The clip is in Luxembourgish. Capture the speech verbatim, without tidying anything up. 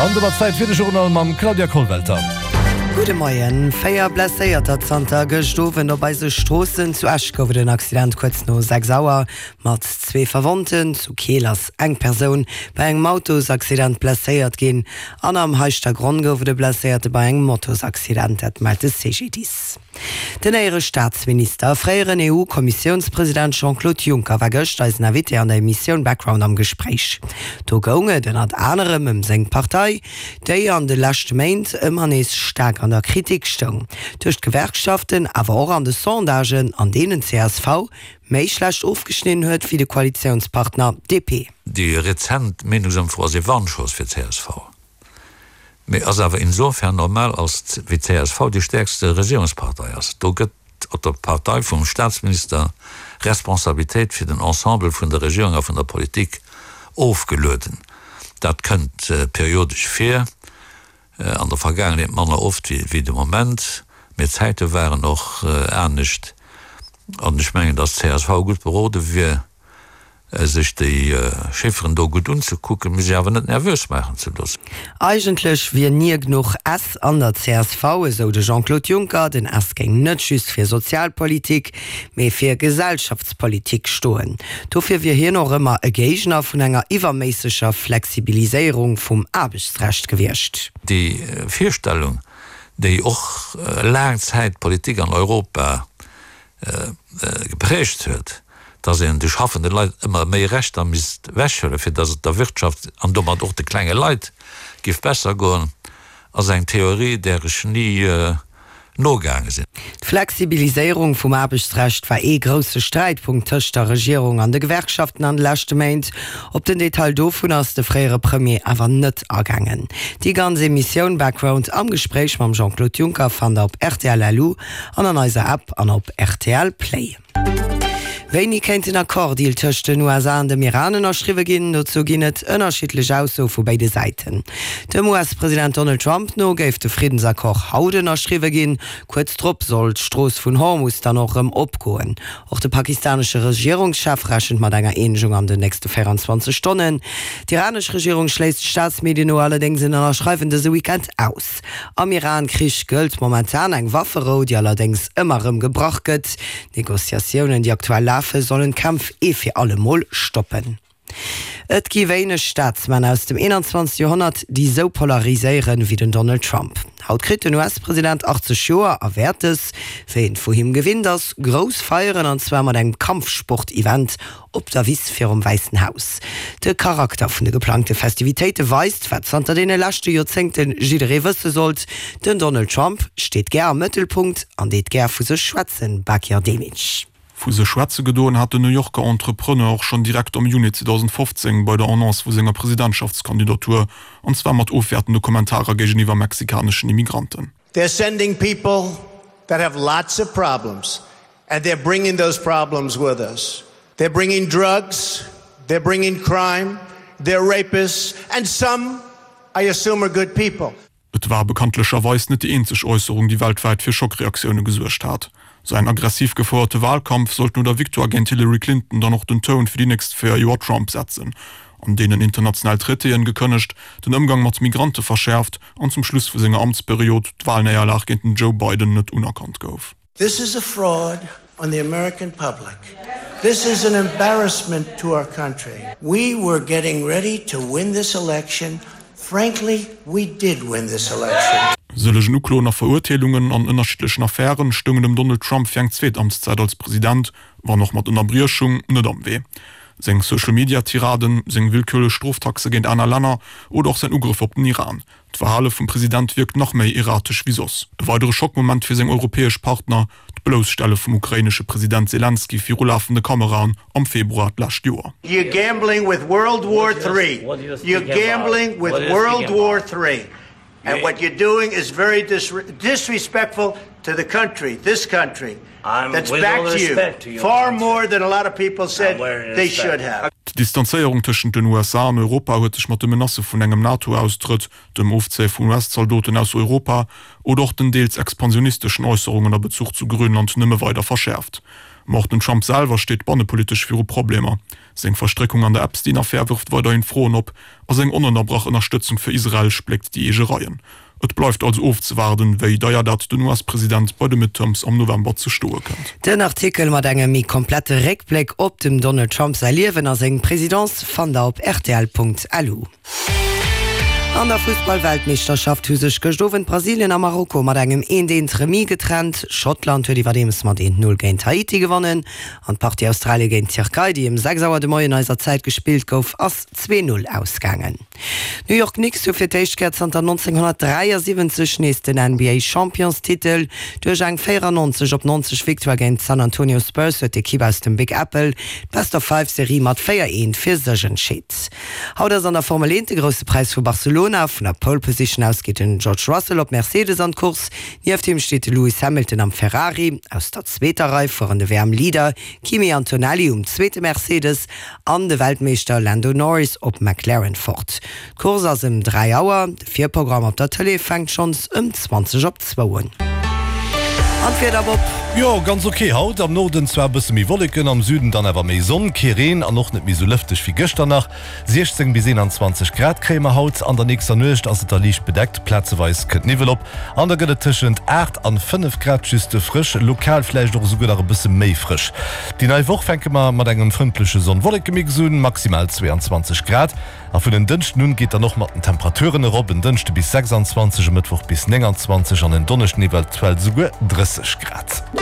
An domat Zäit fir de Journal mam Claudia Kollwelter. Gudde Moien. Véier Blesséierter zanter gëscht Owend op eise Stroossen. Zu Esch gouf et en Accident kuerz no sechs Auer mat zwee Verwonnten. Zu Keel ass eng Persoun bei engem Autosaccident blesséiert ginn an am Heischtergronn gouf et e Blesséierte bei engem Motosaccident, dat mellt de C G D I S. Den éiere Staatsminister a fréieren E U-Kommissiounspresident Jean-Claude Juncker war gëscht eisen Invité an der Emissioun Background am Gespréich. Do goung et ënnert anerem ëm seng Partei, déi an de leschte Méint ëmmer nees staark an der Kritik stoung. Duerch d'Gewerkschaften, awer och an de Sondagen, an deenen C S V méi schlecht ofgeschnidden huet wéi de Koalitiounspartner D P. Déi rezent Meenungsëmfro ass e Warnschoss fir C S V. Mee ass awer insofern normal, als wéi C S V déi stäerkste Regierungspartei ass. Do gëtt op der Partei vum Staatsminister Responsabilitéit fir den Ensemble vun der Regierung a vun der Politik ofgelueden. Dat kënnt periodesch vir, an der Vergaangenheet manner oft wéi de Moment, mee d'Zäite waren och anescht. An ech mengen, datt C S V gutt berode wier, sech déi Chifferen do gutt unzekucken, mee sech awer net nervös maachen ze loossen. Eigentlech wier ni genuch S an der C S V, esou de Jean-Claude Juncker. Den S géing net just fir Sozialpolitik, mee fir Gesellschaftspolitik stoen. Dofir wier hien och ëmmer e Géigner vun enger iwwerméisseger Flexibiliséierung vum Aarbechtsrecht gewiescht. Déi Virstellung, déi och laang Zäit d'Politik an Europa geprägt huet, dass een de schaffende Leit ëmmer méi Rechter misst ewechhuelen, fir dass et der Wirtschaft an domat och de klenge Leit géif besser goen, ass eng Theorie, där ech ni nogaange sinn. D'Flexibiliséierung vum Aarbechtsrecht war ee grousse Sträitpunkt tëscht der Regierung an de Gewerkschaften an de leschte Méint. Op den Detail dovun ass de fréiere Premier awer net agaangen. Déi ganz Emissioun Background am Gespréich mam Jean-Claude Juncker fannt der op R T L L U an an eiser App an op R T L Play. Wéini kéint en Accord-Deal tëscht den U S A an dem Iran ënnerschriwwe ginn? Dozou ginn et ënnerschiddlech Aussoe vu béide Säiten. Dem U S-President Donald Trump no géif de Friddensaccord haut ënnerschriwwe ginn. Kuerz drop soll d'Strooss vun Hormus dann och erëm opgoen. Och de pakistanesche Regierungschef rechent mat enger Eenegung an den nächste véierenzwanzeg Stonnen. D'iranesch Regierung schléisst Staatsmedien no allerdéngs en Ënnerschreiwen dëse Weekend aus. Am Iran-Krich gëllt momentan eng Wafferou, déi allerdéngs ëmmer erëm gebrach gëtt. Negociatiounen, déi aktuell lafen, sollen d'Kämpf ee fir alle Mol stoppen. Et gi wéineg Staatsmänner aus dem eenanzwanzegste Joerhonnert, déi sou polariséieren wéi den Donald Trump. Haut kritt den U S-President achtzeg Joer a wäert es, wéi een vu him gewinnt ass, grouss feieren, an zwar mat engem Kampfsport-Event op der Wiss virum Wäissen Haus. De Charakter vun de geplangte Festivitéite weist, wat zanter deene leschte Joerzéngte jidderee wësse sollt: Den Donald Trump steet gär am Mëttelpunkt an deet gär vu sech schwätzen. Bakir Demic. Vu sech schwätze gedoen hat den New Yorker Entrepreneur och schonn direkt am Juni zweedausendfofzéng bei der Annonce vu senger Presidentschaftskandidatur, an zwar mat ofwäertende Kommentarer géigeniwwer mexikaneschen Immigranten. They're sending people that have lots of problems and they're bringing those problems with us. They're bringing drugs, they're bringing crime, they're rapists, and some, I assume, are good people. Et war bekanntlecherweis net déi eenzeg Äusserung, déi weltwäit fir Schockreaktioune gesuergt hat. Säin aggressiv gefouerte Walkampf sollt no der Victoire géint Hillary Clinton dann och den Toun fir déi nächst véier Joer Trump setzen, an deenen international Traitéen gekënnegt, den Ëmgang mat Migrante verschäerft an zum Schluss vu senger Amtsperiod d'Walnéierlag géint den Joe Biden net unerkannt gouf. This is a fraud on the American public. This is an embarrassment to our country. We were getting ready to win this election. Frankly, we did win this election. Sëllegen Ukloen a Verurteelungen an ënnerschiddlechen Affären stoungen dem Donald Trump fir eng zweet Amtszäit als President, wann och mat Ënnerbriechung, net am Wee. Seng Social-Media-Tiraden, seng willkürlech Stroftaxe géint aner Länner oder och säin Ugrëff op den Iran. D'Verhale vum President wierkt nach méi erratesch wéi soss. E weidere Schockmoment fir seng europäesch Partner, d'Blousstelle vum ukrainesche President Selenskyj viru lafende Kameraen am Februar d'lescht Joer. You're gambling with World War Three. You're gambling with World War Three. And what you're doing is very dis disrespectful to the country, this country, that's with all backed you respect to your far country. more than a lot of people said they should have. D'Distanzéierung tëschent den U S A an Europa huet sech mat de Menacë vun engem NATO-Austrëtt, dem Ofzéie vun U S-Zaldoten aus Europa oder och den deels expansionisteschen Äusserungen a Bezuch zu Grönland nëmme weider verschäerft. Ma och den Trump selwer steet bannepolitesch viru Problemer. Seng Verstréckung an der Epstein-Affär wërft weiderhin Froen op a seng onënnerbrach Ënnerstëtzung fir Israel spléckt déi eege Reien. Et bleift also ofzewaarden, wéi deier dat den US-President bei de Midterms am November ze stoe kënnt. Den Artikel mat engem méi komplette Réckbléck op dem Donald Trump säi Liewen a seng Presidence fannt der op rtl.lu. An der Fussball-Weltmeeschterschaft hu sech gëscht Owend Brasilien a Marokko mat engem eent eent Remis getrennt. Schottland huet iwwerdeems mat eent Null géint Haiti gewonnen an d'Partie Australie géint d'Tierkei, déi ëm sechs Auer de Moien eiser Zäit gespillt gouf, ass zwee Null ausgaangen. D'New York Knicks hu fir d'éischt Kéier zanter nonzénghonnertdräiasiwwenzeg nees den N B A-Championstitel. Duerch eng véierannonzeg op neunzeg Victoire géint d'San Antonio Spurs huet d'Ekipp aus dem Big Apple d'Best-of-Five-Serie mat véier eent fir sech entscheet. Haut ass an der Formel eent de Grousse Präis vu Barcelona. Vun der Pole Position aus geet den George Russell op Mercedes an d'Course. Nieft him steet de Lewis Hamilton am Ferrari. Aus der zweeter Rei fueren de W M-Leader Kimi Antonelli um zweete Mercedes an de Weltmeeschter Lando Norris op McLaren fort. D'Course ass ëm dräi Auer, de Virprogramm op der Tëlee fänkt schonns ëm zwanzeg op zwou un. An d'Wieder, Bob? Jo, ganz ok haut. Am Norden zwar e bësse méi Wolleken, am Süden dann awer méi Sonn. Kee Reen an och net méi sou lëfteg wéi gëschter nach. siechzéng bis eenanzwanzeg Grad kréie mer haut. An der nächster Nuecht ass et da liicht bedeckt, plazeweis kënnt Niwwel op an da gëtt et tëschent aacht an fënnef Grad just frësch, lokal vläicht och esouguer nach e bësse méi frësch. Déi nei Woch fänke mer mat engem frëndleche Sonn-Wolleke-Mix un, maximal zweeanzwanzeg Grad. A vun en Dënschden un geet dann och mat den Temperaturen erop, en Dënschde bis sechsanzwanzeg, e Mëttwoch bis nénganzwanzeg an en Donneschden eventuell souguer drësseg Grad.